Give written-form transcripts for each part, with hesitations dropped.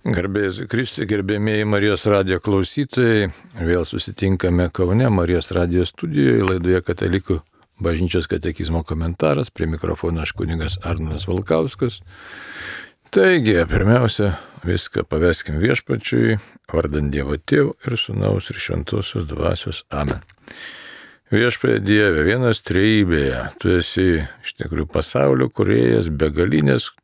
Garbėjus Kristui, gerbėmieji Marijos radijo klausytojai, vėl susitinkame Kaune Marijos radijo studijoje, laidoje Katalikų bažnyčios katekizmo komentaras, prie mikrofono aš kunigas Arnas Valkauskas. Taigi, pirmiausia, viską paveskim Viešpačiui, vardant Dievo Tėvo ir Sūnaus ir Šventosios Dvasios. Amen. Viešpatie Dieve, vienas trejybėje, tu esi iš tikrųjų pasaulio kūrėjas, begalinės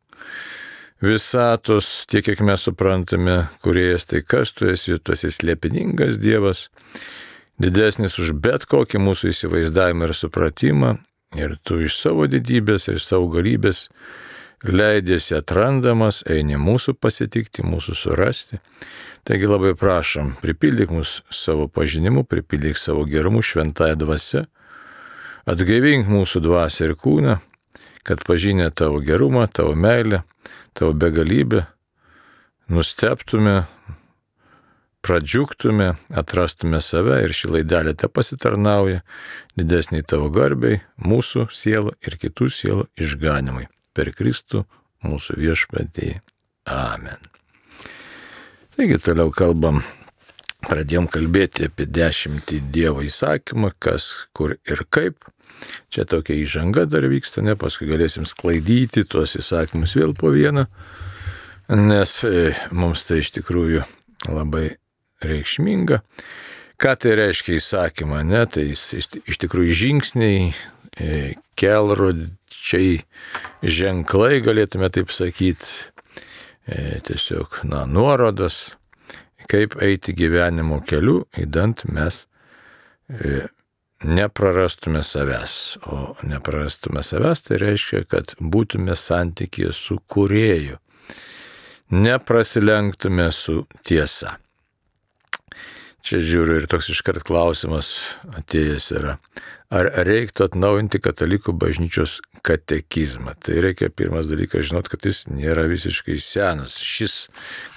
visatos, tiek kiek mes suprantame, kūrėjas, tai kas tu esi slėpiningas Dievas, didesnis už bet kokį mūsų įsivaizdavimą ir supratimą, ir tu iš savo didybės ir savo galybės leidėsi atrandamas, eini mūsų pasitikti, mūsų surasti. Taigi labai prašom, pripildyk mus savo pažinimu, pripildyk savo gerumu šventąją dvasią, atgaivink mūsų dvasią ir kūną, kad pažinę tavo gerumą, tavo meilę, tavo begalybę, nustebtume, pradžiugtume, atrastume save ir šį laidelę te pasitarnauja didesniai tavo garbei, mūsų sielų ir kitų sielų išganimui. Per Kristų mūsų Viešpatį. Amen. Taigi toliau pradėjom kalbėti apie 10 Dievo įsakymą, kas, kur ir kaip. Čia tokia įžanga dar vyksta, paskui galėsim sklaidyti tuos įsakymus vėl po vieną, nes mums tai iš tikrųjų labai reikšminga. Ką tai reiškia įsakymą, tai iš tikrųjų žingsniai, kelrodžiai, ženklai, galėtume taip sakyti, tiesiog nuorodos, kaip eiti gyvenimo keliu, įdant mes neprarastume savęs. O neprarastume savęs tai reiškia, kad būtume santykyje su kūrėju, neprasilenktume su tiesa. Čia žiūriu ir toks iškart klausimas atėjęs yra, ar reiktų atnaujinti katalikų bažnyčios katekizmą. Tai reikia pirmas dalykas žinot, kad jis nėra visiškai senas. Šis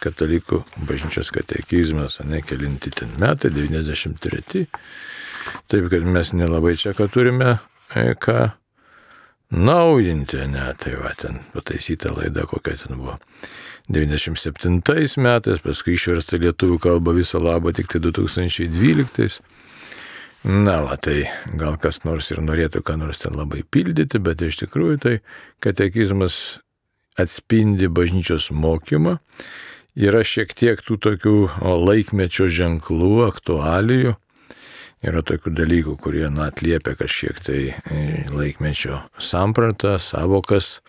katalikų bažnyčios katekizmas, kelinti ten metai, 93. Taip, kad mes nelabai čia ką turime ką naujinti, tai va, ten pataisyta laida, kokia ten buvo 97 metais, paskui išversta lietuvių kalba viso labo tik tai 2012. Tai gal kas nors ir norėtų ką nors ten labai pildyti, bet iš tikrųjų tai katekizmas atspindi bažnyčios mokymą. Yra šiek tiek tų tokių laikmečio ženklų, aktualijų. Yra tokių dalykų, kurie atliepia kažkiek tai laikmečio sampratą, savokas,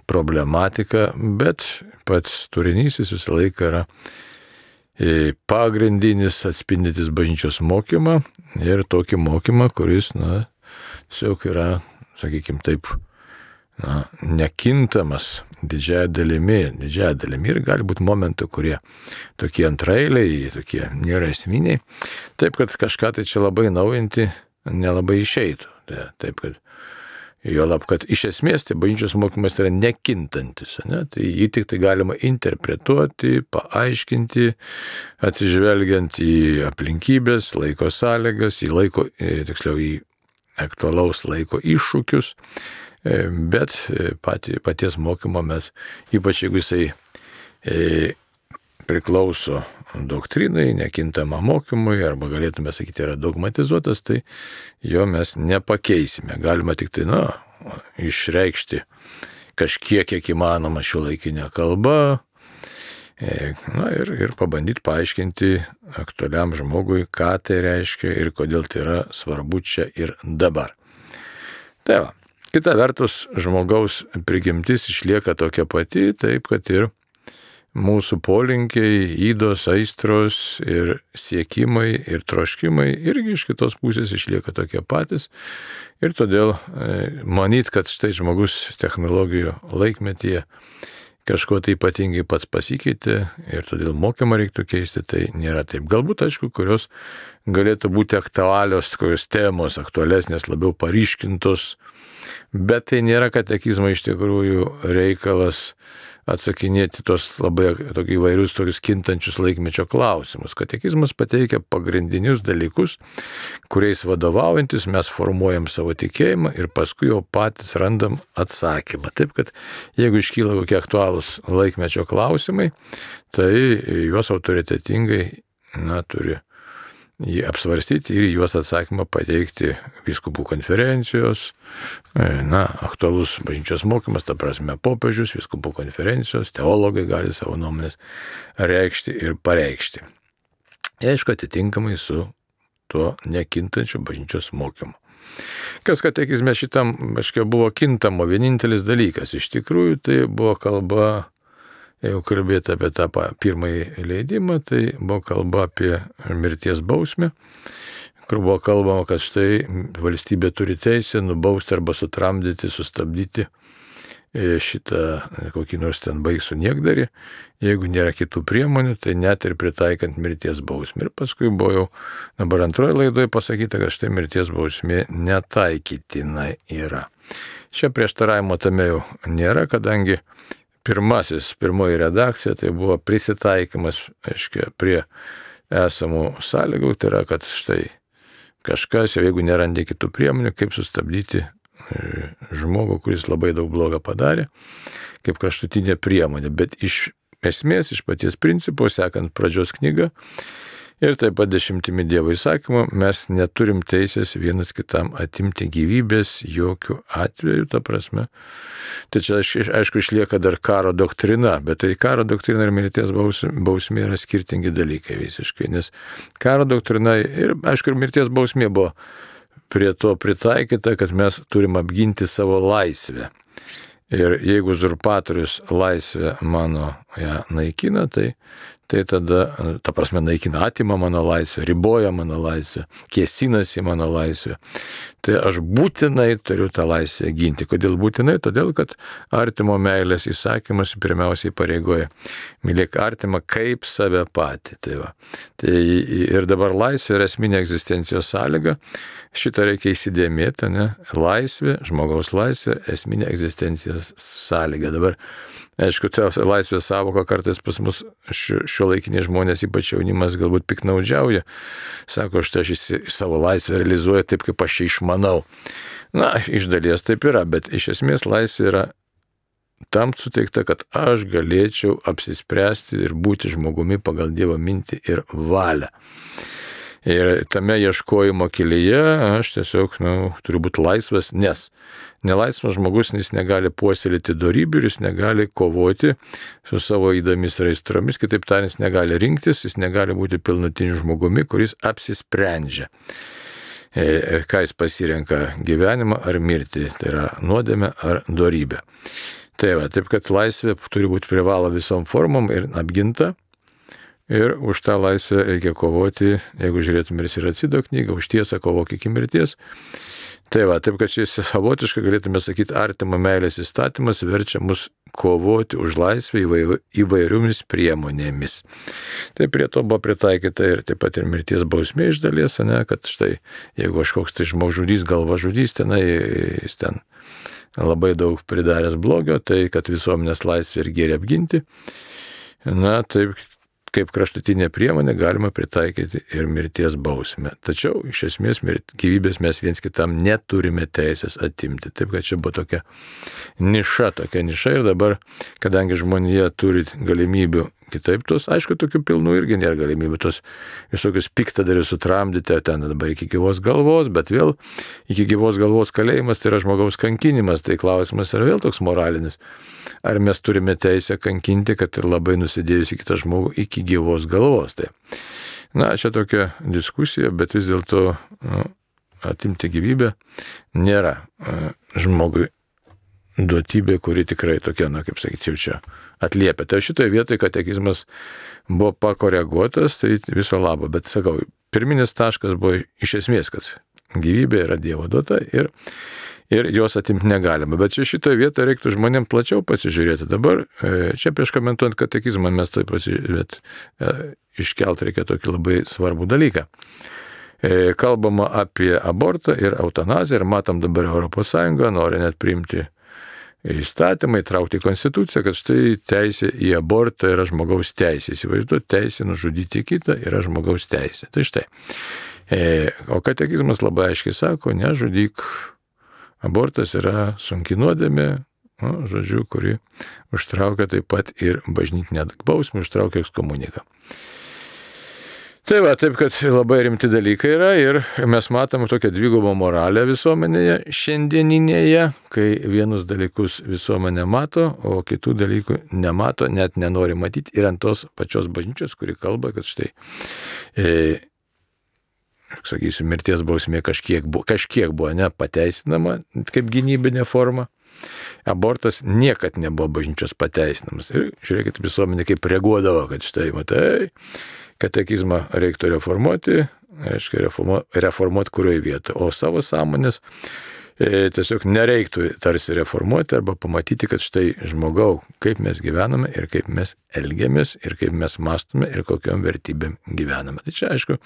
problematiką, bet pats turinys jis visą laiką yra pagrindinis atspindintis bažnyčios mokymą ir tokį mokymą, kuris, tiesiog yra, sakykime taip, nekintamas didžiąją dalimi ir gali būti momentų, kurie tokie antraeiliai, tokie nėra esminiai, taip kad kažką tai čia labai naujinti nelabai išeitų. Taip kad juolab, kad iš esmės tai bažnyčios mokymas yra nekintantis, tai jį tik tai galima interpretuoti, paaiškinti, atsižvelgiant į aplinkybės, laiko sąlygas, į aktualaus laiko iššūkius. Bet paties mokymo mes, ypač jeigu jisai priklauso doktrinai, nekintama mokymui, arba galėtume sakyti, yra dogmatizuotas, tai jo mes nepakeisime. Galima tik tai, išreikšti kažkiek, kiek įmanoma šiuolaikinė kalba, ir pabandyti paaiškinti aktualiam žmogui, ką tai reiškia ir kodėl tai yra svarbu čia ir dabar. Tai va. Kita vertus, žmogaus prigimtis išlieka tokia pati, taip kad ir mūsų polinkiai, ydos, aistros ir siekimai ir troškimai irgi iš kitos pusės išlieka tokie patys. Ir todėl manyt, kad štai žmogus technologijų laikmetyje kažko tai ypatingai pats pasikeitė ir todėl mokymą reiktų keisti, tai nėra taip. Galbūt, aišku, kurios galėtų būti aktualios, kokios temos aktualesnės, labiau paryškintos, Bet tai nėra katekizmo iš tikrųjų reikalas atsakinėti tos labai įvairius tokius kintančius laikmečio klausimus. Katekizmas pateikia pagrindinius dalykus, kuriais vadovaujantis mes formuojam savo tikėjimą ir paskui jau patys randam atsakymą. Taip, kad jeigu iškyla kokie aktualūs laikmečio klausimai, tai juos autoritetingai turi jį apsvarstyti ir juos atsakymą pateikti vyskupų konferencijos, aktualus bažnyčios mokymas, ta prasme popiežius, vyskupų konferencijos, teologai gali savo nuomonės reikšti ir pareikšti. Aišku, atitinkamai su tuo nekintančiu bažnyčios mokymu. Kas katekizme šitam, buvo kintamo vienintelis dalykas. Iš tikrųjų, tai buvo kalba, jeigu kalbėti apie tą pirmąjį leidimą, tai buvo kalba apie mirties bausmę, kur buvo kalbama, kad štai valstybė turi teisę nubausti arba sutramdyti, sustabdyti šitą kokį nors ten baisų niekdarį, jeigu nėra kitų priemonių, tai net ir pritaikant mirties bausmę. Ir paskui buvo jau dabar antroje laidoje pasakyta, kad štai mirties bausmė netaikytina yra. Čia prieštaravimo tame jau nėra, kadangi pirmoji redakcija tai buvo prisitaikymas, prie esamų sąlygų, tai yra, kad štai kažkas, jeigu nerandė kitų priemonių, kaip sustabdyti žmogų, kuris labai daug blogą padarė, kaip kraštutinė priemonė. Bet iš esmės, iš paties principo, sekant pradžios knygą ir taip pat 10 Dievo įsakymų, mes neturim teisės vienas kitam atimti gyvybės jokių atvejų, ta prasme. Tai čia, aišku, išlieka dar karo doktrina, bet tai karo doktrina ir mirties bausmė yra skirtingi dalykai visiškai, nes karo doktrina ir, aišku, ir mirties bausmė buvo prie to pritaikyta, kad mes turim apginti savo laisvę. Ir jeigu uzurpatorius laisvę mano ją naikina, tai tada, ta prasme, naikina, atima mano laisvę, riboja mano laisvę, kėsinasi mano laisvę, tai aš būtinai turiu tą laisvę ginti. Kodėl būtinai? Todėl, kad artimo meilės įsakymas pirmiausiai pareigoja mylėk artimą kaip save patį. Tai ir dabar laisvė yra esminė egzistencijos sąlyga. Šitą reikia įsidėmėti, laisvė, žmogaus laisvė, esminė egzistencijos sąlyga. Dabar, aišku, ta laisvės savoka kartais pas mus šiuolaikiniai žmonės, ypač jaunimas, galbūt piknaudžiauja. Sako, aš savo laisvę realizuoju taip, kaip aš čia išmanau. Iš dalies taip yra, bet iš esmės laisvė yra tam suteikta, kad aš galėčiau apsispręsti ir būti žmogumi pagal Dievo mintį ir valią. Ir tame ieškojimo kelyje aš tiesiog turiu būti laisvas, nes nelaisvas žmogus jis negali puoselėti dorybių, jis negali kovoti su savo įdomis ir aistromis, kitaip tariant, jis negali rinktis, jis negali būti pilnutiniu žmogumi, kuris apsisprendžia, ką jis pasirenka gyvenimą ar mirtį, tai yra nuodėmę ar dorybę. Taip kad laisvė turi būti privalo visom formom ir apginta. Ir už tą laisvę reikia kovoti, jeigu žiūrėtume ir Siracido knygą, už tiesą kovok iki mirties. Taip kad šis savotiškai galėtume sakyti, artimo meilės įstatymas verčia mus kovoti už laisvę įvairiomis priemonėmis. Tai prie to buvo pritaikyta ir taip pat ir mirties bausmė iš dalies, kad štai jeigu kažkoks tai žmogžudys, galvažudys, jis ten labai daug pridaręs blogio, tai kad visuomenės laisvę ir gėrį apginti, taip kaip kraštutinė priemonė galima pritaikyti ir mirties bausmę. Tačiau iš esmės gyvybės mes viens kitam neturime teisės atimti. Taip kad čia buvo tokia niša ir dabar, kadangi žmonija turi galimybių kitaip aišku, tokių pilnų irgi nėra galimybių, tos visokius piktadarius sutramdyti, ar ten dabar iki gyvos galvos, bet vėl iki gyvos galvos kalėjimas tai yra žmogaus kankinimas, tai klausimas yra vėl toks moralinis. Ar mes turime teisę kankinti, kad ir labai nusidėjusi kitą žmogų iki gyvos galvos. Tai, čia tokia diskusija, bet vis dėlto atimti gyvybę nėra žmogui duotybė, kuri tikrai tokia, kaip sakyčiau, čia atliepia. Tai šitoje vietoje katekizmas buvo pakoreguotas, tai viso labo, bet sakau, pirminis taškas buvo iš esmės, kad gyvybė yra Dievo duota ir jos atimti negalima. Bet čia šitoje vietoje reiktų žmonėms plačiau pasižiūrėti. Dabar čia prieš komentuojant katekizmą mes iškelt reikia tokį labai svarbų dalyką. kalbama apie abortą ir eutanaziją ir matom dabar ES nori net priimti įstatymą, įtraukti į konstituciją, kad štai teisė į abortą yra žmogaus teisė. Įsivaizduoti, teisė nužudyti kitą yra žmogaus teisė. Tai štai. O katekizmas labai aiškiai sako, nežudyk. Abortas yra sunki nuodėmė, kuri užtraukia taip pat ir bažnytinę bausmę, užtraukia ekskomuniką. Tai va, taip, kad labai rimti dalykai yra ir mes matome tokią dvigubą moralę visuomenėje šiandieninėje, kai vienus dalykus visuomenė mato, o kitų dalykų nemato, net nenori matyti ir ant tos pačios bažnyčios, kuri kalba, kad štai, sakysiu, mirties bausmė kažkiek buvo nepateisinama kaip gynybinė forma. Abortas niekad nebuvo bažnyčios pateisinamas. Ir žiūrėkit, visuomenė kaip reaguodavo, kad štai, matai, katekizmą reiktų reformuoti, reiškia reformuoti kurioje vietoje, o savo sąmonės tiesiog nereiktų tarsi reformuoti arba pamatyti, kad štai žmogau, kaip mes gyvename ir kaip mes elgiamės ir kaip mes mąstome ir kokiom vertybėm gyvename. Tai čia, aišku,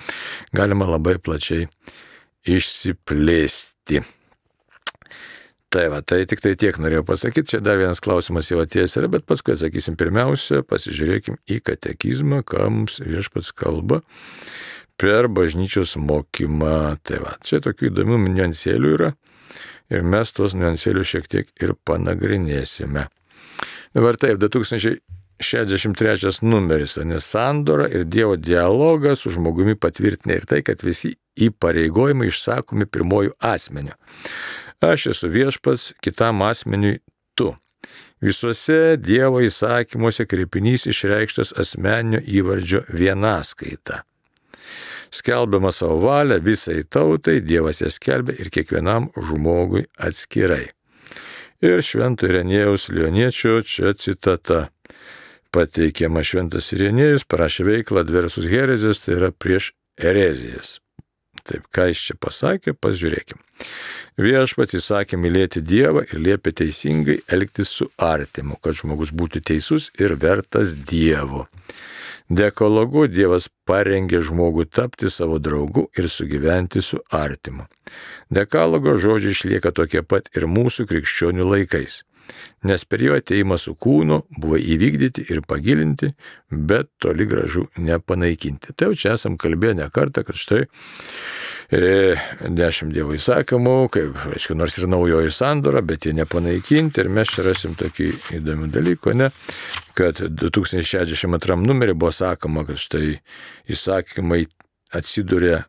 galima labai plačiai išsiplėsti. Tai va, tai tik tai tiek norėjau pasakyti, čia dar vienas klausimas jau atėjęs yra, bet paskui atsakysim pirmiausia, pasižiūrėkim į katekizmą, ką mums Viešpats kalba per bažnyčios mokymą. Tai va, čia tokių įdomių niuansėlių yra ir mes tuos niuansėlius šiek tiek ir panagrinėsime. Dabar taip, 2063 numeris, nes sandora ir Dievo dialogą su žmogumi patvirtina ir tai, kad visi įpareigojimai išsakomi pirmojų asmeniu. Aš esu viešpats, kitam asmeniui tu. Visuose Dievo įsakymuose kreipinys išreikštas asmeninio įvardžio vienaskaita. Skelbiama savo valią visai tautai, Dievas ją skelbia ir kiekvienam žmogui atskirai. Ir Švento Irenėjaus Lioniečio čia citata pateikiama. Šventas Irenėjus parašė veiklą Adversus Herezijas, tai yra prieš erezijas. Taip, ką jis čia pasakė, pasižiūrėkim. Viešpats įsakė mylėti Dievą ir liepė teisingai elgtis su artimu, kad žmogus būtų teisus ir vertas Dievo. Dekalogu Dievas parengė žmogų tapti savo draugu ir sugyventi su artimu. Dekalogo žodžiai išlieka tokie pat ir mūsų krikščionių laikais, nes per jo ateimą su kūnu buvo įvykdyti ir pagilinti, bet toli gražu nepanaikinti. Tai jau čia esam kalbėję ne kartą, kad štai 10 Dievo įsakymų, kaip, aišku, nors ir naujoji sandora, bet jie nepanaikinti ir mes čia rasim tokį įdomių dalykų, ne? Kad 2062 numerį buvo sakoma, kad štai įsakymai atsiduria,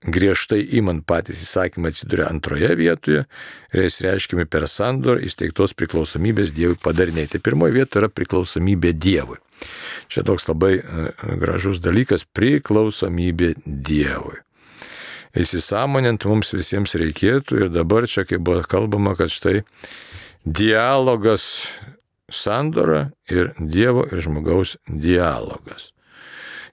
griežtai imant patys įsakymai atsiduria antroje vietoje ir jis reiškiami per sandorą įsteigtos priklausomybės Dievui padariniai. Tai pirmoje vietoje yra priklausomybė Dievui. Čia toks labai gražus dalykas - priklausomybė Dievui. Įsisąmonint mums visiems reikėtų ir dabar čia, kai buvo kalbama, kad štai dialogas sandora ir Dievo ir žmogaus dialogas.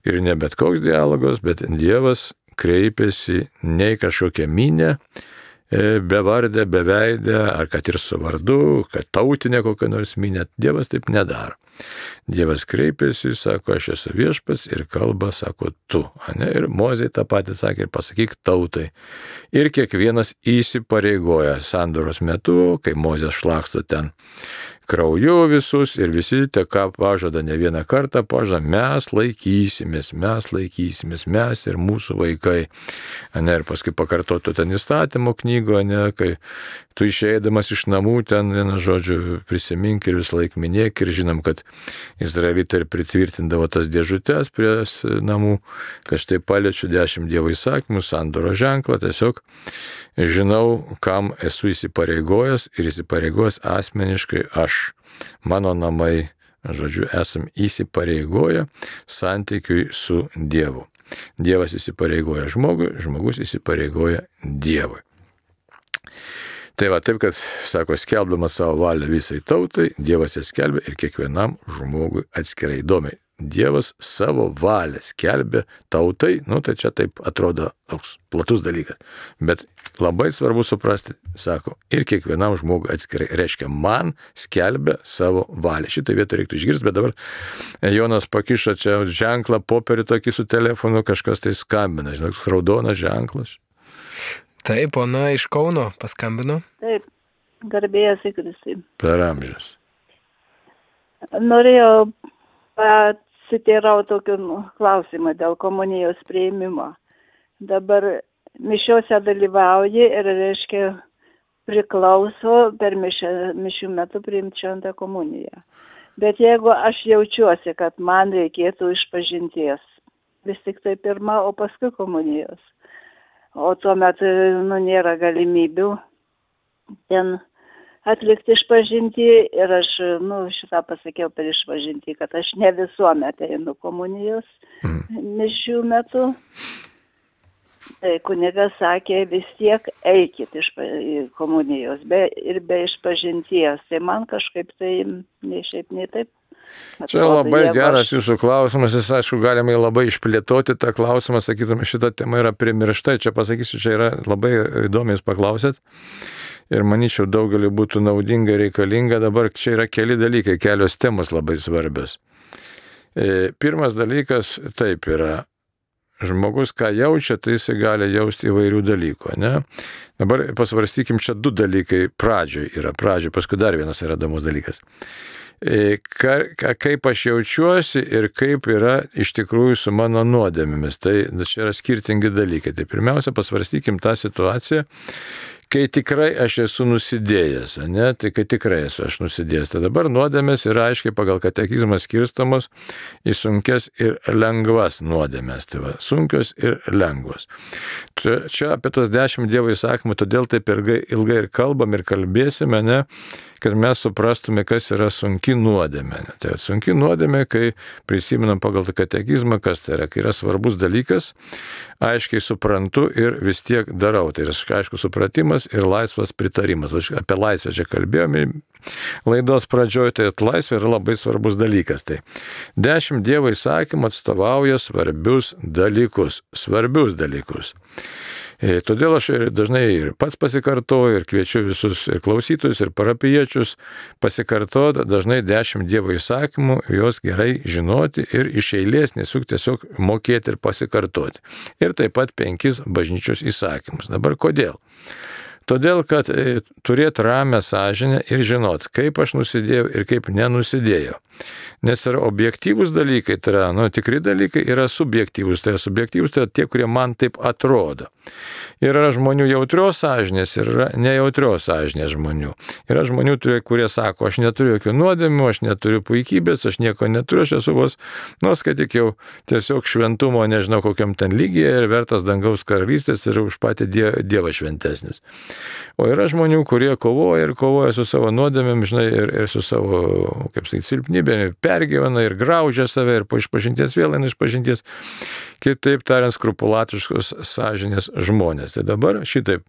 Ir ne bet koks dialogas, bet Dievas kreipiasi ne į kažkokią minę, bevardę, beveidę, ar kad ir su vardu, kad tautinė kokią nors minę. Dievas taip nedaro. Dievas kreipiasi, sako, aš esu viešpats ir kalba, sako, tu. Ne? Ir Mozei tą patį sakė ir pasakyk tautai. Ir kiekvienas įsipareigoja sandoros metu, kai Mozė šlaksto ten krauju visus ir visi te ką pažada ne vieną kartą, pažada, mes laikysimės, mes ir mūsų vaikai. Ne, ir paskui pakartotų ten įstatymo knygo, ne, kai tu išeidamas iš namų ten, vienu žodžiu, prisimink ir vis laik minėk ir žinom, kad izraelitai ir pritvirtindavo tas dėžutės prie namų, kad štai paliečiu 10 Dievo įsakymų, sandoro ženklą, tiesiog žinau, kam esu įsipareigojęs ir įsipareigojęs asmeniškai aš. Mano namai, žodžiu, esam įsipareigoję santykiui su Dievu. Dievas įsipareigoja žmogui, žmogus įsipareigoja Dievui. Tai va, taip, kad, sako, skelbdamas savo valią visai tautai, Dievas ją skelbia ir kiekvienam žmogui atskirai. Įdomiai. Dievas savo valią skelbia tautai, tai čia taip atrodo toks platus dalykas. Bet labai svarbu suprasti, sako, ir kiekvienam žmogui atskirai. Reiškia, man skelbia savo valią. Šitą vietą reiktų išgirsti, bet dabar Jonas pakišo čia ženklą, popierį tokį su telefonu, kažkas tai skambina, žinok, raudonas ženklas. Taip, ona iš Kauno paskambino. Taip, garbėjas į Kristų. Per amžius. Norėjau pasiteirauti tokį klausimą dėl komunijos priėmimo. Dabar mišiuose dalyvauji ir, reiškia, priklauso per mišių metu priimti šventą komuniją. Bet jeigu aš jaučiuosi, kad man reikėtų išpažinties, vis tik tai pirma, o paskui komunijos. O tuo metu nėra galimybių ten atlikti išpažintį ir aš šitą pasakiau per išpažintį, kad aš ne visuomet einu komunijos mišių metu. Tai kunigas sakė, vis tiek eikit iš komunijos ir be išpažinties. Tai man kažkaip tai nei šiaip, nei taip. Čia labai geras jūsų klausimas, jis aišku galima labai išplėtoti tą klausimą, sakytume, šita tema yra primiršta, čia pasakysiu, čia yra labai įdomiai jūs paklausėt ir manyčiau daugeliu būtų naudinga, reikalinga, dabar čia yra keli dalykai, kelios temos labai svarbios. Pirmas dalykas taip yra, žmogus ką jaučia, tai jis gali jausti įvairių dalykų, ne? Dabar pasvarstykim, čia du dalykai pradžioj, paskui dar vienas yra įdomus dalykas. Kaip aš jaučiuosi ir kaip yra iš tikrųjų su mano nuodėmėmis. Tai čia yra skirtingi dalykai. Tai pirmiausia, pasvarstykim tą situaciją, kai tikrai aš esu nusidėjęs, ne? Tai kai tikrai esu aš nusidėjęs. Tai dabar nuodėmės yra aiškiai pagal katekizmą skirstamos į sunkes ir lengvas nuodėmės. Tai va, sunkios ir lengvos. Čia apie tas 10 Dievo įsakymų, todėl taip ilgai ir kalbam ir kalbėsime, ne? Kad mes suprastume, kas yra sunki nuodėmė. Tai sunki nuodėmė, kai prisimenam pagal katekizmą, kas tai yra, kai yra svarbus dalykas, aiškiai suprantu ir vis tiek darau. Tai yra aišku supratimas ir laisvas pritarimas. Apie laisvę čia kalbėjome laidos pradžioje, tai laisvė yra labai svarbus dalykas. Tai 10 Dievo įsakymų atstovauja svarbius dalykus. Todėl aš dažnai ir pats pasikartoju ir kviečiu visus ir klausytojus, ir parapijiečius pasikartoti dažnai 10 Dievo įsakymų, juos gerai žinoti ir iš eilės nesuk tiesiog mokėti ir pasikartoti. Ir taip pat 5 bažnyčios įsakymus. Dabar kodėl? Todėl, kad turėti ramią sąžinę ir žinot, kaip aš nusidėjau ir kaip nenusidėjau. Nes yra objektyvūs dalykai, tai yra tikri dalykai, yra subjektyvūs. Tai yra subjektyvūs, tai yra tie, kurie man taip atrodo. Yra žmonių jautrios sąžinės ir yra nejautrios sąžinės žmonių. Yra žmonių, kurie sako, aš neturiu jokių nuodėmių, aš neturiu puikybės, aš nieko neturiu, aš esu vos, skaityk jau tiesiog šventumo, nežinau kokiam ten lygyje ir vertas dangaus karalystės ir už patį Dievą šventesnis. O yra žmonių, kurie kovoja su savo nuodėmėm, žinai, ir su savo, silpnybė, pergyvena ir graužia save ir po išpažinties vėl eina išpažinties, kitaip tariant, skrupulatiškos sąžinės žmonės. Tai dabar šitaip,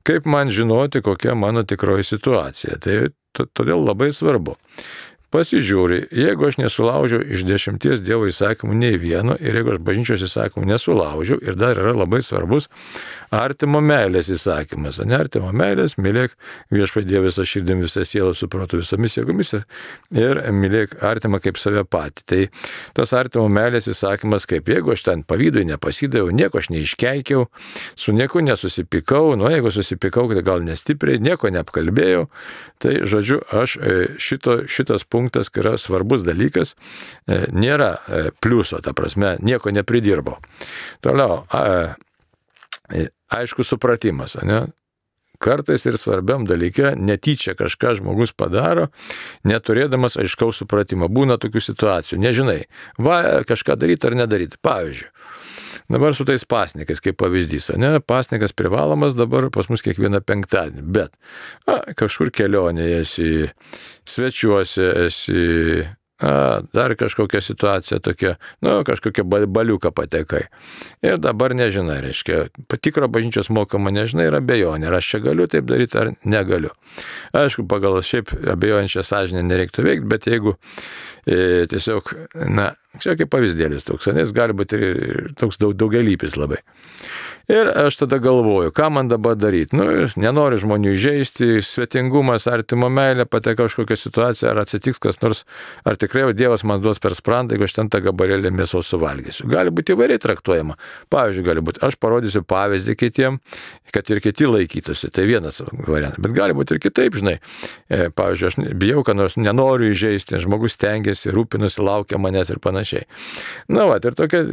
kaip man žinoti, kokia mano tikroji situacija. Tai todėl labai svarbu. Pasižiūri, jeigu aš nesulaužiau iš 10 Dievo įsakymų nei vieno ir jeigu aš bažnyčios įsakymų nesulaužiau ir dar yra labai svarbus artimo meilės įsakymas. Artimo meilės, mylėk viešpatie Dievą visą širdim, visą sielą, su protu, visomis jėgomis ir mylėk artimą kaip save patį. Tai tas artimo meilės įsakymas, kaip jeigu aš ten pavydui nepasidaviau, nieko aš neiškeikiau, su nieku nesusipykau, jeigu susipykau, tai gal nestipriai, nieko neapkalbėjau, tai žodžiu, aš šitas punktas, kai yra svarbus dalykas, nėra pliuso, ta prasme, nieko nepridirbo. Toliau, aišku supratimas, ne? Kartais ir svarbiam dalyke netyčia kažką žmogus padaro, neturėdamas aiškaus supratimo. Būna tokių situacijų, nežinai, kažką daryti ar nedaryti. Pavyzdžiui, dabar su tais pasnikais, kaip pavyzdys, ne? Pasnikas privalomas dabar pas mus kiekvieną penktadienį, bet kažkur kelionėje esi, svečiuose esi, dar kažkokia situacija tokia, kažkokia baliuką patekai. Ir dabar nežinai, reiškia, patikro bažnyčios mokama nežinai ir abejonė, ar aš čia galiu taip daryti ar negaliu. Aišku, pagal šiaip abejojančią sąžinę nereiktų veikti, bet jeigu tiesiog, čia kaip pavyzdėlis toks, nes gali būti ir toks daugelypis labai. Ir aš tada galvoju, ką man dabar daryti. Nenoriu žmonių įžeisti, svetingumas, artimo meilė, pateka kažkokią situaciją, ar atsitiks kas nors, ar tikrai jau Dievas man duos per sprandą, jeigu aš ten tą gabalėlį mėsos suvalgysiu. Gali būti įvairiai traktuojama. Pavyzdžiui, gali būti, aš parodysiu pavyzdį kitiem, kad ir kiti laikytųsi. Tai vienas variantas. Bet gali būti ir kitaip, žinai. Pavyzdžiui, aš bijau, kad nors nenoriu įžeisti, žmogus stengiasi, rūpinasi, laukia manęs ir panašiai. Ir tokia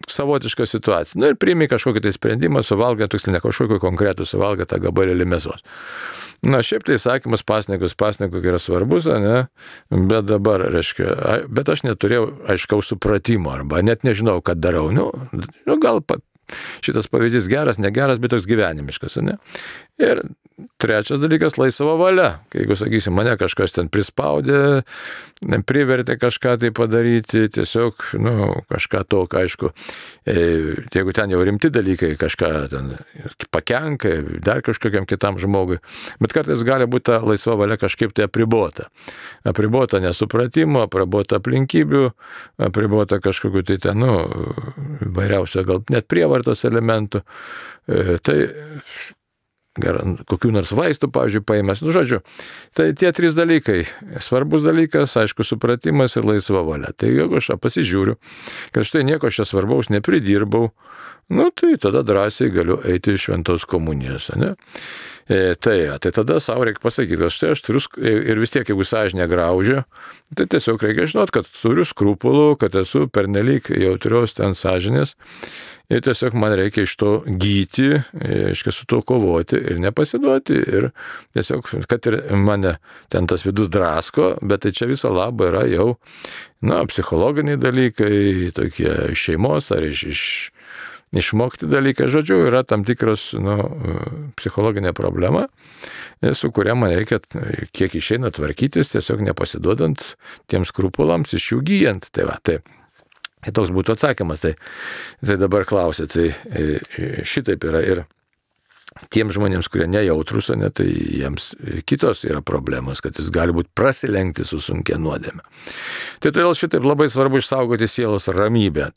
savotiška situacija. Ir priimi kažkokį tai sprendimą, suvalgę, tiksliai ne kažkokį konkretų, suvalgę tą gabalėlį mėsos. Šiaip tai sakymas pasninkui yra svarbus, ne? Bet dabar, bet aš neturėjau aiškaus supratimo, arba net nežinau, ką darau. Gal šitas pavyzdys geras, negeras, bet toks gyvenimiškas, ne? Ir trečias dalykas - laisva valia. Jeigu, sakysim, mane kažkas ten prispaudė, privertė kažką tai padaryti, tiesiog, kažką tokio, aišku, jeigu ten jau rimti dalykai, kažką ten pakenka, dar kažkokiam kitam žmogui, bet kartais gali būti ta laisva valia kažkaip tai apribota. Apribota nesupratimo, apribota aplinkybių, apribota kažkokiu tai ten, vairiausio gal net prievartos elementų. Tai kokių nors vaistų, pavyzdžiui, paėmęs. Žodžiu, tai tie trys dalykai. Svarbus dalykas, aišku, supratimas ir laisva valia. Tai jeigu aš pasižiūriu, kad štai nieko aš čia svarbaus nepridirbau, tai tada drąsiai galiu eiti iš šventos komunijos, ne? Tai tada savo reikia pasakyti, kad štai aš turiu, ir vis tiek, jeigu sąžinė graužia, tai tiesiog reikia žinoti, kad turiu skrupulų, kad esu pernelyg jautrios ten sąžinės, ir tiesiog man reikia iš to gyti, su to kovoti ir nepasiduoti, ir tiesiog, kad ir mane ten tas vidus drasko, bet tai čia viso labo yra jau, psichologiniai dalykai, tokie iš šeimos ar išmokti dalykai. Žodžiu, yra tam tikros psichologinė problema, su kuria man reikia, kiek išeina, tvarkytis, tiesiog nepasiduodant tiems skrupulams, iš jų gyjant. Tai toks būtų atsakymas. Tai dabar klausė, tai šitaip yra ir tiems žmonėms, kurie nejautrus, tai jiems kitos yra problemos, kad jis gali būti prasilenkti su sunkia nuodėme. Tai todėl šitaip labai svarbu išsaugoti sielos ramybę.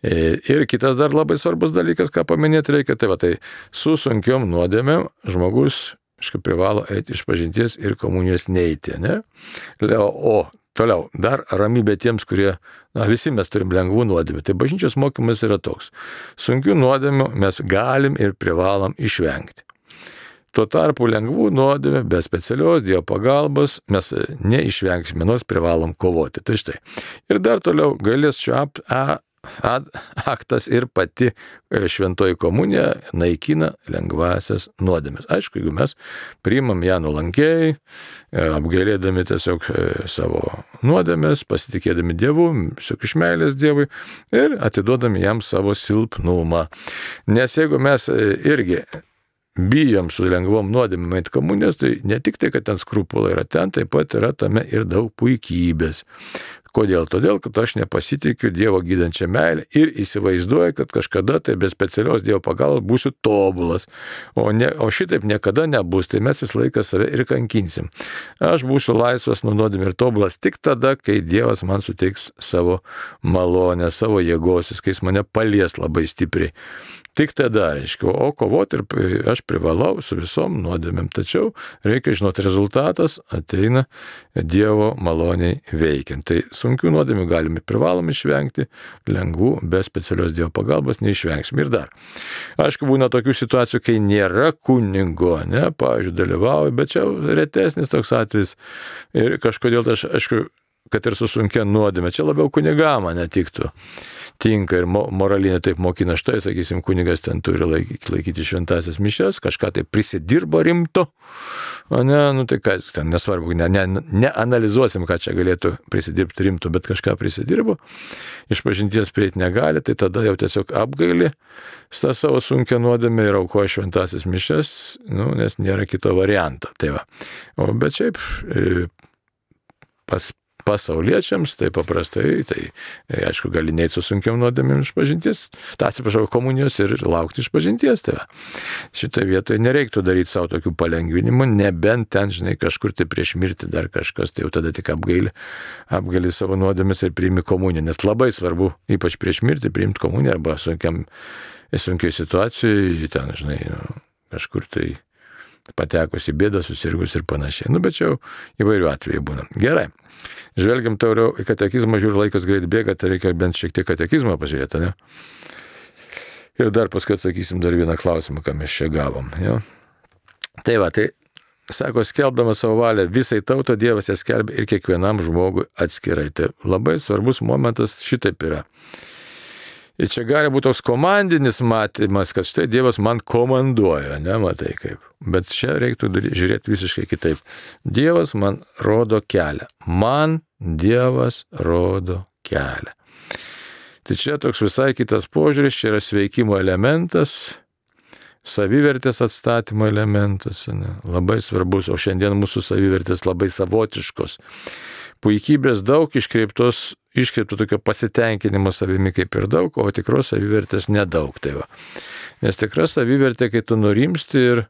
Ir kitas dar labai svarbus dalykas, ką paminėti reikia, tai su sunkiom nuodėmėm žmogus privalo eiti iš pažinties ir komunijos neiti, ne? O toliau, dar ramybė tiems, kurie, visi mes turim lengvų nuodėmių. Tai bažnyčios mokymas yra toks. Sunkių nuodėmių mes galim ir privalom išvengti. Tuo tarpu lengvų nuodėmių be specialios Dievo pagalbos mes neišvengsime, nors privalom kovoti. Tai štai. Ir dar toliau gailesčio aktas ir pati šventoji komunija naikina lengvasias nuodėmes. Aišku, jeigu mes priimam ją nuolankiai, apgailėdami tiesiog savo nuodėmes, pasitikėdami Dievu, tiesiog iš meilės Dievui ir atiduodami jam savo silpnumą. Nes jeigu mes irgi bijom su lengvom nuodėmėm eit komunijos, tai ne tik tai, kad ten skrupulai yra, ten taip pat yra tame ir daug puikybės. Kodėl? Todėl, kad aš nepasitikiu Dievo gydančią meilę ir įsivaizduoju, kad kažkada tai be specialios Dievo pagalbos būsiu tobulas. O šitaip niekada nebus, tai mes vis laiką save ir kankinsim. Aš būsiu laisvas nuo nuodėmių ir tobulas tik tada, kai Dievas man suteiks savo malonę, savo jėgos, kai jis mane palies labai stipriai. Tik tada, reiškia, o kovoti ir aš privalau su visom nuodėmėm. Tačiau reikia žinoti, rezultatas ateina Dievo maloniai veikiant. Tai sunkių nuodėmių galime privalom išvengti, lengvų be specialios Dievo pagalbos neišvengsim. Ir dar. Aišku, būna tokių situacijų, kai nėra kunigo, ne, pavyzdžiui, dalyvauju, bet čia retesnis toks atvejis. Ir kažkodėl aš, aišku, kad ir su sunkia nuodėme, čia labiau kunigam netiktų. Tinka ir moralinė taip mokina, štai, sakysim, kunigas ten turi laikyti šventasias mišias, kažką tai prisidirbo rimto, o ne, tai kas ten, nesvarbu, neanalizuosim, ką čia galėtų prisidirbti rimto, bet kažką prisidirbo, iš pažinties prieiti negali, tai tada jau tiesiog apgaili tą savo sunkią nuodėmę ir aukoja šventasias mišias, nes nėra kito varianto. Tai va. Bet šiaip pasauliečiams, tai paprastai, aišku, gali neiti su sunkiam nuodėmėm išpažinties, komunijos ir laukti išpažinties. Tai šitoje vietoje nereiktų daryti savo tokių palengvinimų, nebent ten, žinai, kažkur tai prieš mirtį dar kažkas, tai jau tada tik apgali savo nuodėmės ir priimi komuniją, nes labai svarbu, ypač prieš mirtį, priimti komuniją arba sunkiai situacijai, ten, žinai, kažkur tai patekus į bėdą, susirgus ir panašiai. Bet čia jau įvairių atvejų būna. Gerai. Žvelgiam toliau į katekizmą, žiūrėjau, laikas greit bėga, tai reikia bent šiek tiek katekizmą pažiūrėti, ne? Ir dar paskui atsakysim dar vieną klausimą, ką mes čia gavom. Ja? Tai sako, skelbdamas savo valią visai tauto, Dievas ją skelbia ir kiekvienam žmogui atskirai. Tai labai svarbus momentas šitaip yra. Ir čia gali būti toks komandinis matymas, kad štai Dievas man komanduoja, nematai kaip. Bet čia reiktų žiūrėti visiškai kitaip. Dievas man rodo kelią. Man Dievas rodo kelią. Tai čia toks visai kitas požiūris, čia yra sveikimo elementas, savivertės atstatymo elementas, ne? Labai svarbus, o šiandien mūsų savivertės labai savotiškos. Puikybės daug, iškreipto tokio pasitenkinimo savimi kaip ir daug, o tikros savivertės nedaug. Tai va. Nes tikra savivertė, kai tu nurimsti ir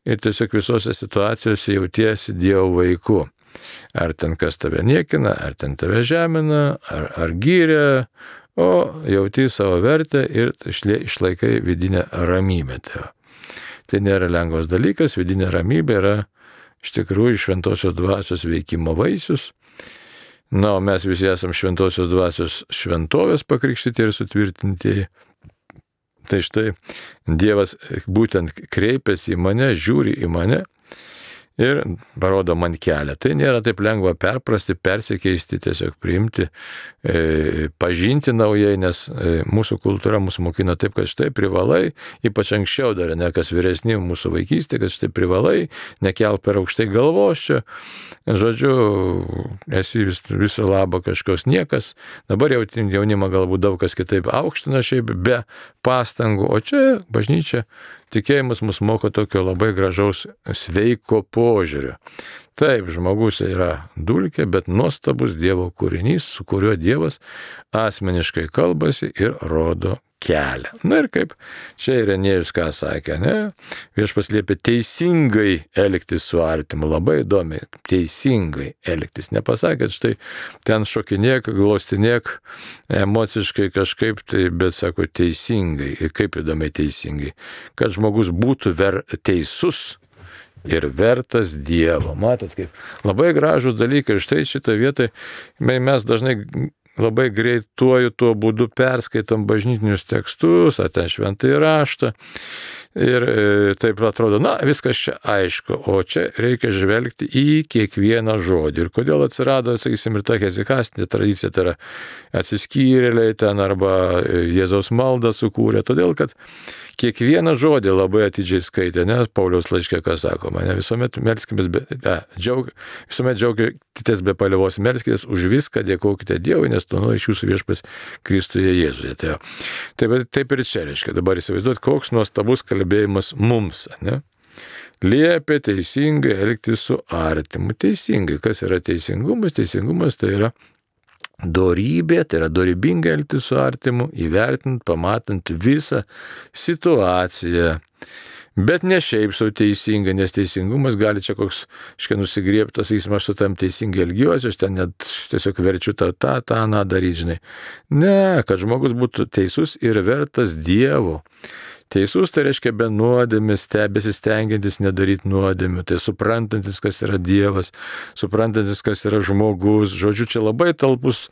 tiesiog visose situacijose jautiesi Dievo vaiku. Ar ten kas tave niekina, ar ten tave žemina, ar gyria, o jauti savo vertę ir išlaikai vidinę ramybę. Tai nėra lengvas dalykas, vidinė ramybė yra iš tikrųjų šventosios dvasios veikimo vaisius. O mes visi esam šventosios dvasios šventovės pakrikštyti ir sutvirtinti. Tai štai Dievas būtent kreipiasi į mane, žiūri į mane ir parodo man kelią. Tai nėra taip lengva perprasti, persikeisti, tiesiog priimti, pažinti naujai, nes mūsų kultūra mūsų mokina taip, kad štai privalai, ypač anksčiau dar, ne kas vyresni mūsų vaikystė, kad štai privalai, nekelk per aukštai galvos čia, žodžiu, esi viso labo kažkoks niekas, dabar jaunimą galbūt daug kas kitaip aukština šiaip be pastangų, o čia bažnyčia, tikėjimas mus moko tokio labai gražaus sveiko požiūrio. Taip, žmogus yra dulkė, bet nuostabus Dievo kūrinys, su kuriuo Dievas asmeniškai kalbasi ir rodo kelią. Ir kaip čia Irenėjus ką sakė, ne? Viešpats liepia teisingai elgtis su artimu, labai įdomiai, teisingai elgtis. Nepasakė, štai ten šokinėk, glostinėk, emociškai kažkaip, bet sako teisingai. Ir kaip įdomiai teisingai. Kad žmogus būtų teisus ir vertas Dievo. Matot, kaip labai gražus dalykai. Štai šitą vietą mes dažnai labai greituoju tuo būdu perskaitam bažnytinius tekstus, ar ten šventąjį raštą. Ir taip atrodo, viskas čia aišku, o čia reikia žvelgti į kiekvieną žodį. Ir kodėl atsirado, sakysim, ir ta hezikastinė tradicija, tai yra atsiskyrėliai ten arba Jėzaus maldą sukūrė, todėl kad kiekvieną žodį labai atidžiai skaitė, nes Pauliaus laiške, ką sakoma, ne visuomet melskimės, visuomet džiaukitės be paliovos, melskitės už viską, dėkokite Dievui, nes to iš jūsų viešpats Kristuje Jėzuje. Taip ir čia reiškia, dabar įsivaizduot, koks nuostabus kalbėjimas mums, ne? Liepia teisingai elgtis su artimu. Teisingai, kas yra teisingumas? Teisingumas tai yra dorybė, tai yra dorybingai elgtis su artimu, įvertinant, pamatant visą situaciją. Bet ne šiaip sau teisingai, nes teisingumas gali čia koks, nusigriebtas, aš su tam teisingai elgiuosi, aš ten net tiesiog verčiu tą daryti, žinai. Ne, kad žmogus būtų teisus ir vertas Dievo. Teisus tai reiškia be nuodėmės, besistengiantis nedaryti nuodėmių, tai suprantantis, kas yra Dievas, suprantantis, kas yra žmogus. Žodžiu, čia labai talpus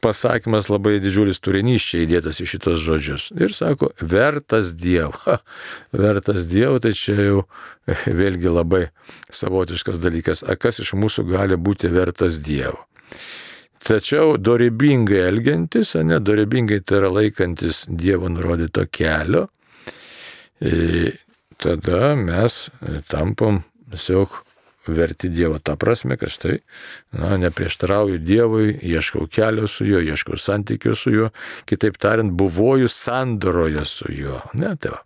pasakymas, labai didžiulis turinys čia įdėtas į šitos žodžius. Ir sako, vertas Dievo. Vertas Dievo, tai čia jau vėlgi labai savotiškas dalykas. Kas iš mūsų gali būti vertas Dievo? Tačiau dorybingai elgiantis, dorybingai tai yra laikantis Dievo nurodyto kelio, tada mes tampam tiesiog verti Dievo. Ta prasme, kad štai, neprieštarauju Dievui, ieškau kelio su juo, ieškau santykio su juo, kitaip tariant, buvoju sandoroje su juo. Tai va.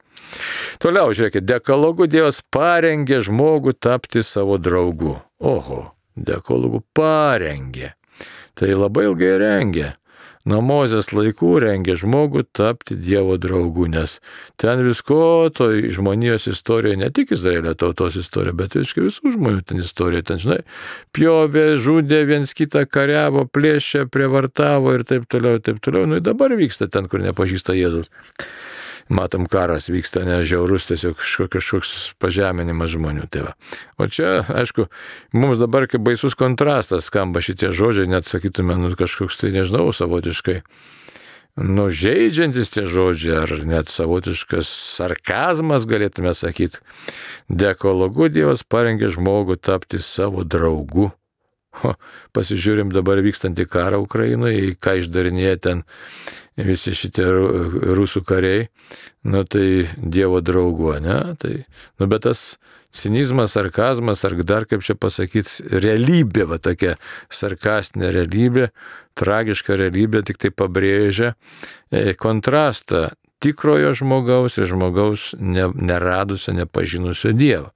Toliau, žiūrėkit, dekalogu Dievas parengė žmogų tapti savo draugu. Oho, dekalogu parengė. Tai labai ilgai rengė. Nuo Mozės laikų rengė žmogų tapti Dievo draugu, nes ten visko, to žmonijos istorija, ne tik Izraelio tautos istorija, bet ir visų žmonių ten istorija. Ten, žinai, pjovė, žudė, viens kitą kariavo, plėšė, prievartavo ir taip toliau, ir taip toliau. Nu, dabar vyksta ten, kur nepažįsta Jėzus. Matom, karas vyksta, nežiaurus, tiesiog kažkoks pažeminimas žmonių. Tai va. O čia, aišku, mums dabar kaip baisus kontrastas skamba šitie žodžiai, net sakytume, kažkoks tai, nežinau, savotiškai, žeidžiantis tie žodžiai, ar net savotiškas sarkazmas, galėtume sakyti. Dekalogu Dievas parengė žmogų tapti savo draugu. Pasižiūrim dabar vykstantį karą Ukrainoje, ką išdarinėja ten visi šitie rusų kariai, tai Dievo draugu, ne? Tai, bet tas cinizmas, sarkazmas, ar dar kaip čia pasakyti, realybė, va tokia sarkastinė realybė, tragiška realybė, tik tai pabrėžia kontrastą tikrojo žmogaus ir žmogaus neradusio, nepažinusio Dievo.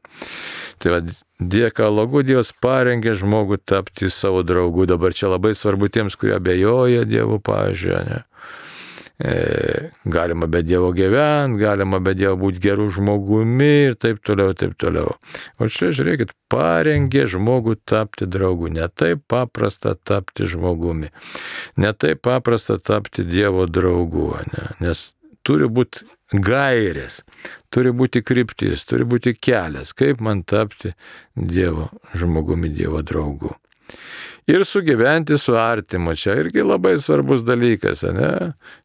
Tai va, dekalogu Dievas parengė žmogų tapti savo draugu. Dabar čia labai svarbu tiems, kurie abejoja Dievo pavyzdžiui, ne? Galima be Dievo gyventi, galima be Dievo būti gerų žmogumi ir taip toliau, taip toliau. O čia, žiūrėkit, parengė žmogų tapti draugu. Ne taip paprasta tapti žmogumi. Ne taip paprasta tapti Dievo draugu, ne? Nes turi būti gairės, turi būti kryptis, turi būti kelias, kaip man tapti Dievo žmogumi, Dievo draugu. Ir sugyventi su artimu, čia irgi labai svarbus dalykas, ne?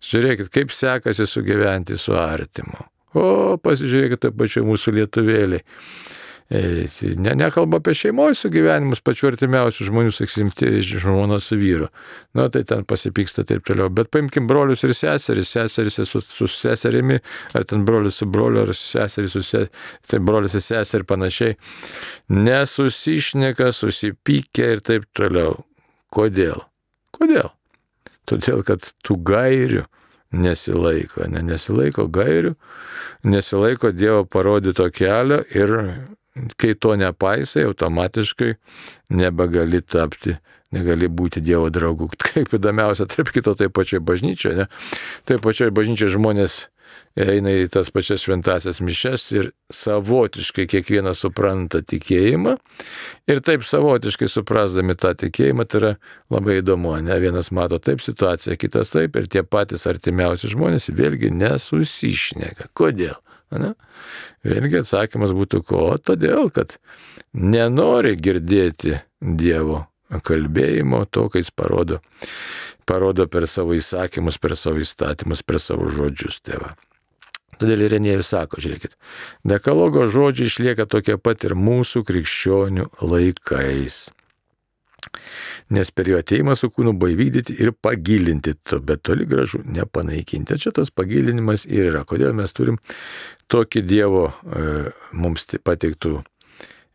Žiūrėkit, kaip sekasi sugyventi su artimu. O, pasižiūrėkit, taip pačiai mūsų lietuvėliai. Nekalba apie šeimos sugyvenimus pačių artimiausių žmonių, sakysim, žmonos su vyru. Tai ten pasipyksta taip toliau. Bet paimkim brolius ir seseris, seseris su seserimi, ar ten brolius su broliu, ar seseris su seserimi, tai brolius ir seserį ir panašiai. Nesusišneka, susipykia ir taip toliau. Kodėl? Kodėl? Todėl, kad tų gairių nesilaiko, nesilaiko gairių, nesilaiko Dievo parodyto kelio ir kai to nepaisai, automatiškai nebegali tapti, negali būti Dievo draugu. Kaip įdomiausia, tarp kito, tai pačioj bažnyčioje, ne? Tai pačioj bažnyčioje žmonės eina į tas pačias šventasias mišes ir savotiškai kiekvienas supranta tikėjimą. Ir taip savotiškai suprasdami tą tikėjimą, tai yra labai įdomu, ne? Vienas mato taip situaciją, kitas taip, ir tie patys artimiausi žmonės vėlgi nesusišneka. Kodėl? Ne? Vėlgi atsakymas būtų ko? Todėl, kad nenori girdėti Dievo kalbėjimo, to, kai jis parodo per savo įsakymus, per savo įstatymus, per savo žodžius. Tėva. Todėl Irenėjus sako, žiūrėkit, dekalogo žodžiai išlieka tokie pat ir mūsų krikščionių laikais. Nes per jo ateimą su kūnu buvo įvykdyti ir pagilinti, bet toli gražu nepanaikinti. Čia tas pagilinimas ir yra. Kodėl mes turim tokį Dievo mums pateiktų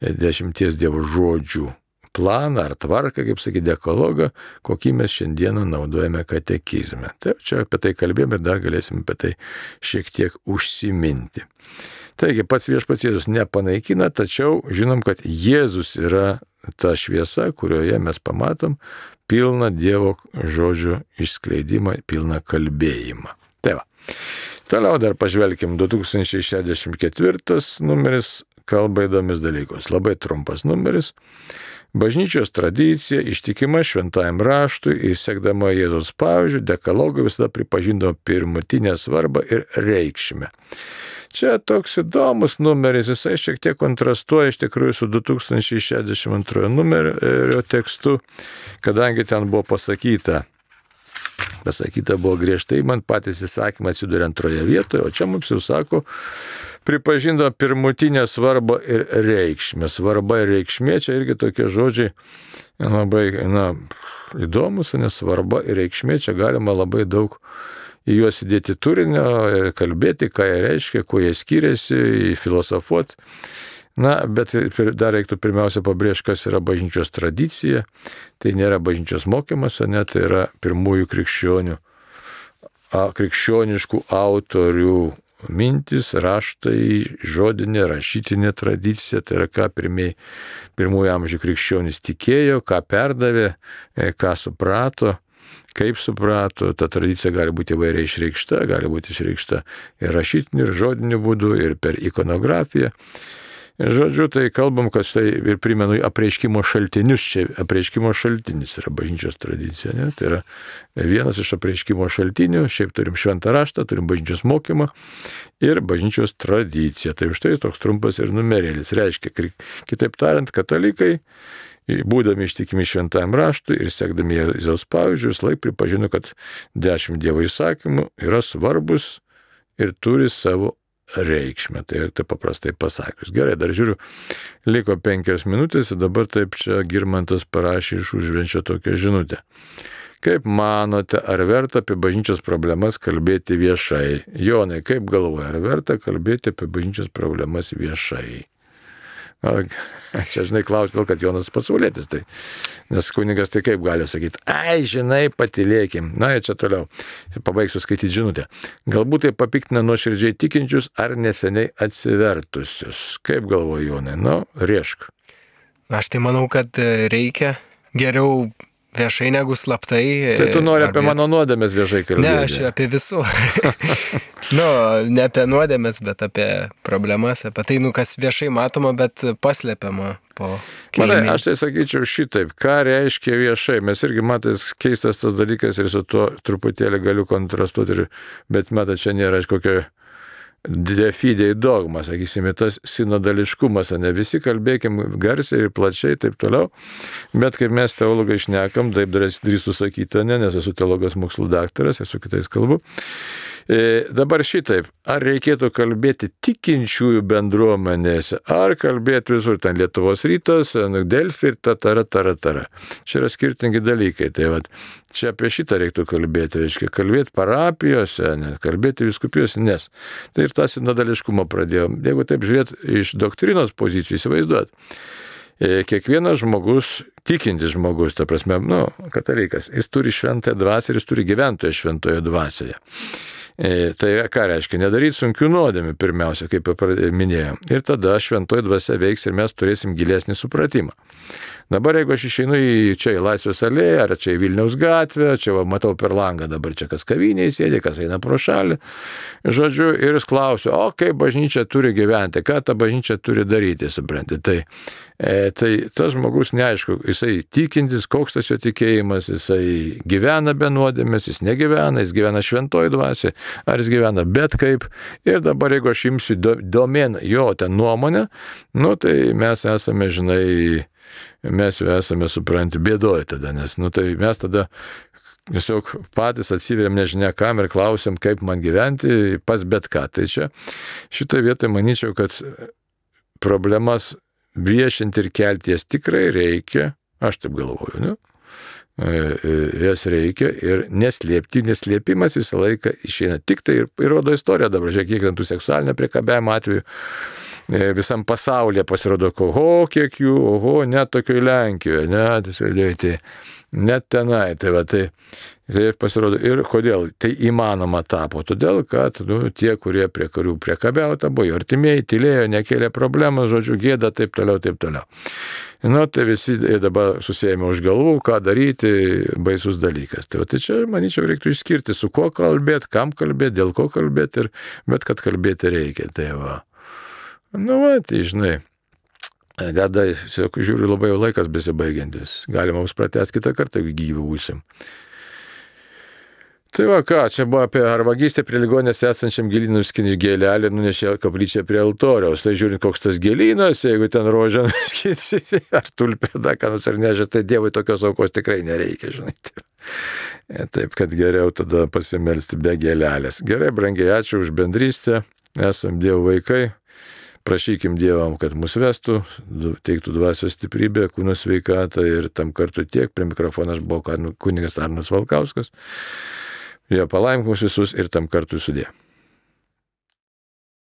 10 Dievo žodžių planą ar tvarką, kaip sakyti, dekalogą, kokį mes šiandieną naudojame katekizme. Tai čia apie tai kalbėjome ir dar galėsime apie tai šiek tiek užsiminti. Taigi pats Viešpats Jėzus nepanaikina, tačiau žinom, kad Jėzus yra ta šviesa, kurioje mes pamatom pilną Dievo žodžių išskleidimą, pilną kalbėjimą. Tai va. Toliau dar pažvelkim, 2064 numeris kalba įdomis dalykus. Labai trumpas numeris. Bažnyčios tradicija, ištikima šventajam raštui ir sekdama Jėzaus pavyzdžiu, dekalogai visada pripažindavo pirmutinę svarbą ir reikšmę. Čia toks įdomus numeris, jisai šiek tiek kontrastuoja iš tikrųjų su 2062 numerio tekstu, kadangi ten buvo pasakyta buvo griežtai, man patys įsakymai atsiduria antroje vietoje, o čia mums jau sako, pripažindo pirmutinę svarbą ir reikšmę. Svarba ir reikšmė, čia irgi tokie žodžiai labai įdomus, nes svarba ir reikšmė, čia galima labai daug į juos įdėti turinio ir kalbėti, ką jie reiškia, kuo jie skiriasi, filosofuoti. Bet dar reiktų pirmiausia pabrėžti, kas yra bažnyčios tradicija. Tai nėra bažnyčios mokymas, tai yra pirmųjų krikščioniškų autorių mintis, raštai, žodinė, rašytinė tradicija, tai yra ką pirmųjų amžių krikščionys tikėjo, ką perdavė, ką suprato, kaip suprato. Ta tradicija gali būti įvairiai išreikšta, gali būti išreikšta ir rašytiniu, ir žodiniu būdu, ir per ikonografiją. Žodžiu, tai kalbam, kad štai ir primenu apreiškimo šaltinius. Čia apreiškimo šaltinis yra bažnyčios tradicija. Ne? Tai yra vienas iš apreiškimo šaltinių. Šiaip turim šventą raštą, turim bažnyčios mokymą ir bažnyčios tradiciją. Tai už tai toks trumpas ir numerėlis. Reiškia, kitaip tariant, katalikai, būdami ištikimi šventajam raštui ir sekdami Jėzaus pavyzdžiu, vis laik pripažino, kad 10 Dievo įsakymų yra svarbus ir turi savo reikšmę. Tai paprastai pasakius. Gerai, dar žiūriu, liko 5 minutės ir dabar taip čia Girmantas parašė iš Užvenčio tokią žinutę. Kaip manote, ar verta apie bažnyčios problemas kalbėti viešai? Jonai, kaip galvoja, ar verta kalbėti apie bažnyčios problemas viešai? Čia, žinai, klausiu vėl, kad Jonas pasaulietis, tai. Nes kunigas tai kaip gali sakyti, ai, žinai, patylėkim. Na, čia toliau. Pabaigsiu skaityti žinutę. Galbūt tai papiktina nuoširdžiai tikinčius ar neseniai atsivertusius. Kaip galvoja Jonai? Nu, riešk. Aš tai manau, kad reikia geriau viešai negu slaptai. Tai tu nori apie mano nuodėmės viešai kalbėti? Ne, aš apie visų. Ne apie nuodėmės, bet apie problemas, apie tai, kas viešai matoma, bet paslepiama po kilmės. Manai, aš tai sakyčiau šitaip, ką reiškia viešai. Mes irgi matais keistas tas dalykas ir su tuo truputėlį galiu kontrastuoti, bet matai, čia nėra kokio de fide dogma, sakysime, tas sinodališkumas, ne visi kalbėkim garsiai ir plačiai, taip toliau, bet kaip mes teologai šnekam, taip drįstu sakyti, nes esu teologijos mokslų daktaras, esu kitais kalbu. Dabar šitaip, ar reikėtų kalbėti tikinčiųjų bendruomenėse, ar kalbėti visur, ten Lietuvos rytas, Delfi ir tara. Čia yra skirtingi dalykai, tai vat, čia apie šitą reiktų kalbėti, reiškia, kalbėti parapijose, kalbėti vyskupijose, nes tai ir tą sinodališkumą pradėjom. Jeigu taip žiūrėt iš doktrinos pozicijų, įsivaizduot, kiekvienas žmogus, tikintis žmogus, ta prasme, katalikas, jis turi šventąją dvasią ir jis turi gyventoją šventoje dvasioje. Tai ką reiškia? Nedaryti sunkių nuodėmių pirmiausia, kaip minėjau. Ir tada šventoji dvasia veiks ir mes turėsim gilesnį supratimą. Dabar jeigu aš išeinu čia į Laisvės alėją, ar čia į Vilniaus gatvę, čia matau per langą, dabar čia kas kavinėje sėdi, kas eina pro šalį, žodžiu, ir jis klausia, o kaip bažnyčia turi gyventi, ką ta bažnyčia turi daryti, supranti. Tai tas žmogus neaišku, jisai tikintis, koks tas jo tikėjimas, jisai gyvena be nuodėmės, jis negyvena, jis gyvena šventoji dvasia, ar jis gyvena bet kaip. Ir dabar jeigu aš imsiu domen jo tą nuomonę, tai mes esame, žinai, mes jau esame, supranti, bėdoje tada, nes tai mes tada tiesiog patys atsiveriam nežinia kam ir klausiam, kaip man gyventi pas bet ką. Tai čia šitoje vietoje manyčiau, kad problemas viešinti ir kelti jas tikrai reikia, aš taip galvoju, ne? Jas reikia ir neslėpti, neslėpimas visą laiką išeina. Tik tai ir rodo istorija dabar, žiūrėk, kiek ten tų seksualinio priekabiavimo atvejų visam pasaulyje pasirodo, kiek jų, net tokioje Lenkijoje, net tenai, tai pasirodo. Ir kodėl tai įmanoma tapo? Todėl, kad tie, kurie prie kurių priekabiauta, buvo jų artimieji, tylėjo, nekėlė problemą, žodžiu, gėda, taip toliau. Tai visi dabar susijėmė už galvų, ką daryti, baisus dalykas. Tai čia, manyčiau, reiktų išskirti, su kuo kalbėti, kam kalbėti, dėl ko kalbėti, bet kad kalbėti reikia. Tai žinai, gada, žiūriu, labai jau laikas besibaigiantis. Galima mums pratęsti kitą kartą, jeigu gyvi būsim. Tai čia buvo apie ar vagystę prie ligonės esančiam gėlynui skinti gėlelį, nunešė kaplyčią prie altoriaus. Tai žiūrint, koks tas gėlynas, jeigu ten rožę nuskinti, ar tulpę, ką nors ar nežia, tai Dievui tokios aukos tikrai nereikia, žinai. Taip, kad geriau tada pasimelsti be gėlelės. Gerai, brangiai, ačiū už bendrystę. Esam Dievo vaikai. Prašykim Dievam, kad mus vestų, teiktų dvasios stiprybę, kūno sveikatą ir tam kartu tiek. Prie mikrofono aš buvau kunigas Arnas Valkauskas. Jie palaimink mus visus ir tam kartu sudė.